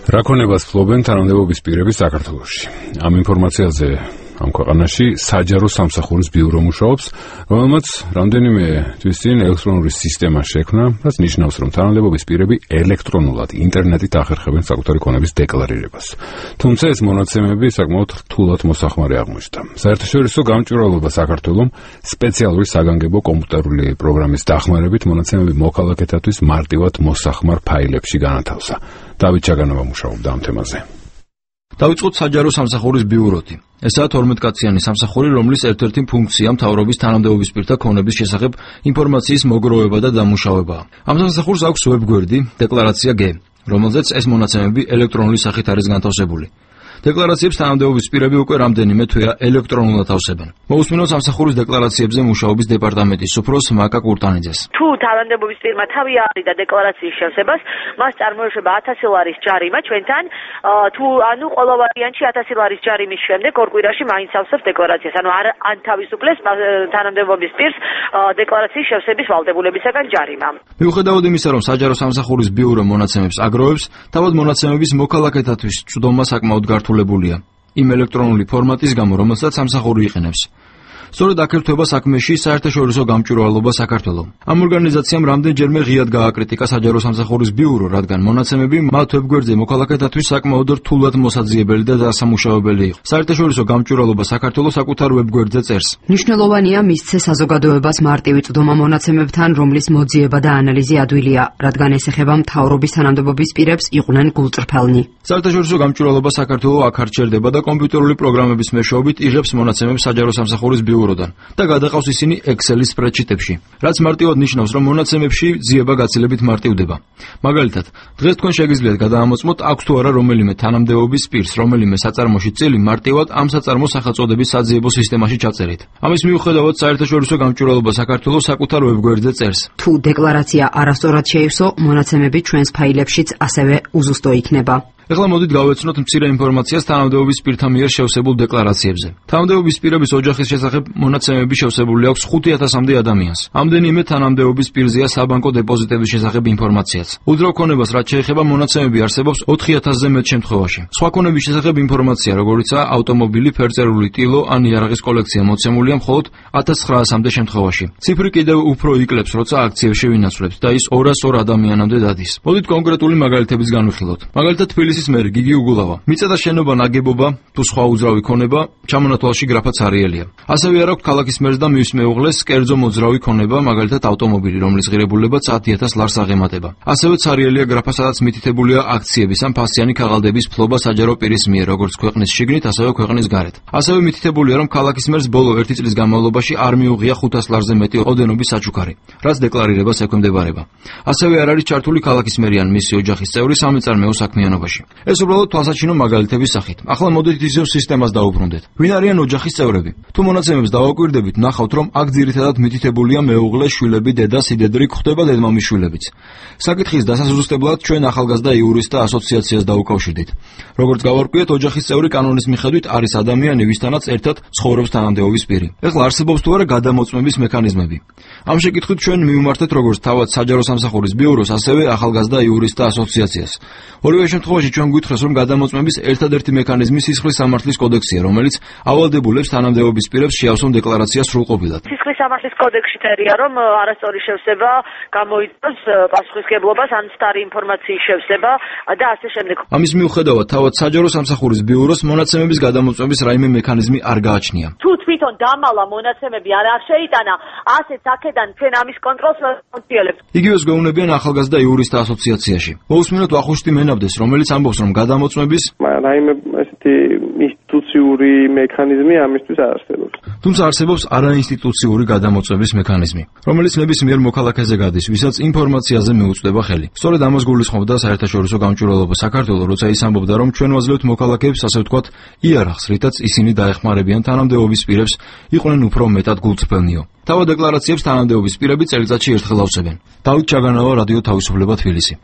რა ქონებას ფლობენ თანამდებობის პირები საქართველოში? ამ ინფორმაციაზე ამ ქვეყანაში საჯარო სამსახურის ბიურო მუშაობს, რომელმაც რამდენიმე თვის წინ ელექტრონული სისტემა შექმნა, რაც ნიშნავს, რომ თანამდებობის პირები ელექტრონულად ინტერნეტით ახერხებენ საკუთარი ქონების დეკლარირებას. თუმცა ეს მონაცემები საკმაოდ რთულად მოსახმარი აღმოჩნდა. საერთაშორისო გამჭვირვალობა საქართველოს სპეციალური საგანგებო კომპიუტერული პროგრამის დახმარებით მონაცემები მოქალაქეთათვის მარტივად მოსახმარ ფაილებში განათავსა. დავით ჩაგანოვა მუშაობდა ამ თემაზე. დავიწყოთ საჯარო სამსახურის ბიუროთი. ესაა 12 კაციანი სამსახური, რომლის ერთ-ერთი ფუნქცია მთავრობის თანამდებობის პირთა ქონების შესახებ ინფორმაციის მოგროვება და დამუშავებაა. ამ სამსახურს აქვს ვებგვერდი დეკლარაცია G, რომელზეც ეს მონაცემები ელექტრონული სახით არის განთავსებული. დეკლარაციებს თანამდებობის პირები უკვე რამდენიმე თვეა ელექტრონულად ავსებენ. მოусმინოთ სამსახურის დეკლარაციებზე მუშაობის დეპარტამენტის უფროს მაკა კურტანიძეს. თუ თანამდებობის პირმა თავი არიდა დეკლარაციის შევსებას, მას წარმოეშვება 1000 ლარის ჯარიმა ჩვენთან, თუ ანუ ყველა ვარიანტში 1000 ლარის ჯარიმის შემდეგ ორ კვირაში მაინც ავსებს დეკლარაციას. ანუ ან თავისუფლეს თანამდებობის პირს დეკლარაციის შევსების ვალდებულებისაგან ჯარიმა. მიუხედავად იმისა, რომ საჯარო სამსახურის ბიურო მონაცემებს აგროვებს, თავად მონაცემების მოქალაქეთათვის წვდომა საკმაოდ გართულებულია იმ ელექტრონული ფორმატის გამო, რომელსაც სამსახური იყენებს. სწორედ აქ ერთვება საქმეში საერთაშორისო გამჭვირვალობა საქართველოს. ამ ორგანიზაციამ რამდენჯერმე ღიად გააკრიტიკა საჯარო სამსახურის ბიურო, რადგან მონაცემები მათ ვებგვერდზე მოქალაქეთათვის საკმაოდ რთულად მოსაძიებელი და დასამუშავებელი იყო. საერთაშორისო გამჭვირვალობა საქართველოს საკუთარ ვებგვერდზე წერს. მნიშვნელოვანია მისცე საზოგადოებას მარტივი წვდომა მონაცემებთან, რომლის მოძიება და ანალიზი ადვილია, რადგან ეს ეხება მთავრობის თანამდებობის პირებს იყვნენ გულწრფელნი. საერთაშორისო გამჭვირვალობა საქართველოს აქ არ ჩერდება და კომპიუტერული პროგრამების მეშვეობით იღებს მონაცემებს საჯარო სამსახურის ბიუროდან და გადაყავს ისინი Excel-ის სპრედშიტებში, რაც მარტივად ნიშნავს, რომ მონაცემებში ძიება გაცილებით მარტივდება. მაგალითად, დღეს თქვენ შეგიძლიათ გადაამოწმოთ აქვს თუ არა რომელიმე თანამდებობის პირს, რომელიმე საწარმოში წილი მარტივად ამ საწარმოს სახელწოდების საძიებო სისტემაში ჩაწერით. ამის მიუხედავად, საერთაშორისო გამჭვირვალობა საქართველოს საკუთარ ვებგვერდზე წერს. თუ დეკლარაცია არასწორად შეივსო, მონაცემები ჩვენს ფაილებშიც ასევე უზუსტო იქნება. ეხლა მოდით გავეცნოთ მცირე ინფორმაციას თანამდებობის პირთა მიერ შევსებულ დეკლარაციებზე. თანამდებობის პირების ოჯახის შესახებ მონაცემები შევსებული აქვს 5000-მდე ადამიანს. ამდენიმე თანამდებობის პირზეა საბანკო დეპოზიტების შესახებ ინფორმაციაც. უძრავ ქონებას რაც შეეხება მონაცემები არსებობს 4000-ზე მეტ შემთხვევაში. სხვა ქონების შესახებ ინფორმაცია, როგორიცაა ავტომობილი, ფერწერული ტილო ან იარაღის კოლექცია მოცემულია მხოლოდ 1900-მდე შემთხვევაში. ციფრი კიდევ უფრო იკლებს, როცა აქციებში ვინაცვლებთ და ის 202 ადამიანამდე დადის. მოდით კონკრეტული მაგალითების განვიხილოთ. მაგალითად ის მერი გიგი უგულავა. მიწა შენობა ნაგებობა თუ სხვა უძრავი ქონება ჩამონათვალში გრაფა ცარიელია. ასევე არ აქვს ქალაქის მერს და მის მეუღლეს კერძო მოძრავი ქონება, მაგალითად ავტომობილი, რომლის ღირებულებაც 10000 ლარს აღემატება. ასევე ცარიელია გრაფა, სადაც მითითებულია აქციების ან ფასიანი ქაღალდების ფლობა საჯარო პირის მიერ, როგორც ქვეყნის შიგნით, ასევე ქვეყნის გარეთ. ასევე მითითებულია, რომ ქალაქის მერს ბოლო 1 წლის განმავლობაში არ მიუღია 500 ლარზე მეტი ოდენობის საჩუქარი, რაც დეკლარირებას ექვემდებარება. ასევე არ არის ჩართული ქალაქის მერი ან მისი ოჯახის წევრი სამეწარმეო საქმიანობაში. ეს უბრალოდ თვალსაჩინო მაგალითების სახით. ახლა მოდით ისევ სისტემას დავუბრუნდეთ. ვინ არიან ოჯახის წევრები? თუ მონაცემებს დავაკვირდებით, ნახავთ, რომ აქ ძირითადად მითითებულია მეუღლე, შვილები, დედა, სიდედრი, გვხვდება დედმამის შვილებიც. საკითხის დასაზუსტებლად ჩვენ ახალგაზრდა იურისტთა ასოციაციას დაუკავშირდით. როგორც გავარკვიეთ, ოჯახის წევრი კანონის მიხედვით არის ადამიანი, ვისთანაც ერთად ცხოვრობს თანამდებობის პირი. ეხლა არსებობს თუ არა გადამოწმების მექანიზმები? ამ შეკითხვით ჩვენ მივმართეთ როგორც თავად საჯარო სამსახურის ბიუროს, ასევე ახალგაზრდა იურისტთა ასოციაციას. ორივე შემთხვევაში ჩვენ გვითხრეს, რომ გადამოწმების ერთადერთი მექანიზმი სისხლის სამართლის კოდექსია, რომელიც ავალდებულებს თანამდებობის პირებს შეავსონ დეკლარაცია სრულყოფილად. სისხლის სამართლის კოდექსში წერია, რომ არასწორი შევსება გამოიწვევს პასუხისმგებლობას ან სტარი ინფორმაციის შევსება და ასე შემდეგ. ამის მიუხედავად, თავად საჯარო სამსახურის ბიუროს მონაცემების გადამოწმების რაიმე მექანიზმი არ გააჩნია. თუ თვითონ დამალა მონაცემები არ შეიტანა, ასეც აქედან ჩვენ ამის კონტროლს ვახორციელებთ. იგივეს გვეუბნებიან ახალგაზრდა იურისტთა ასოციაციაში. მოусმინოთ ვახუშტი მენაბდეს, რომელიც ამბობს, რომ გადამოწმების რაიმე ესეთი ინსტიტუციური მექანიზმი ამისთვის არ არსებობს. თუმცა არსებობს არაინსტიტუციური გადამოწმების მექანიზმი, რომელიც ნებისმიერ მოქალაქეზე გადის, ვისაც ინფორმაციაზე მიუწვდება ხელი. სწორედ ამას გულისხმობდა საერთაშორისო გამჭვირვალობა საქართველოს, როცა ის ამბობდა, რომ ჩვენ ვაძლევთ მოქალაქეებს, ასე ვთქვათ, იარაღს, რითაც ისინი დაეხმარებიან თანამდებობის პირებს, იყვნენ უფრო მეტად გულწრფელნიო. თავად დეკლარაციებს თანამდებობის პირები წელიწადში ერთხელ ავსებენ. დავით ჩაგანოვა, რადიო თავისუფლება, თბილისი.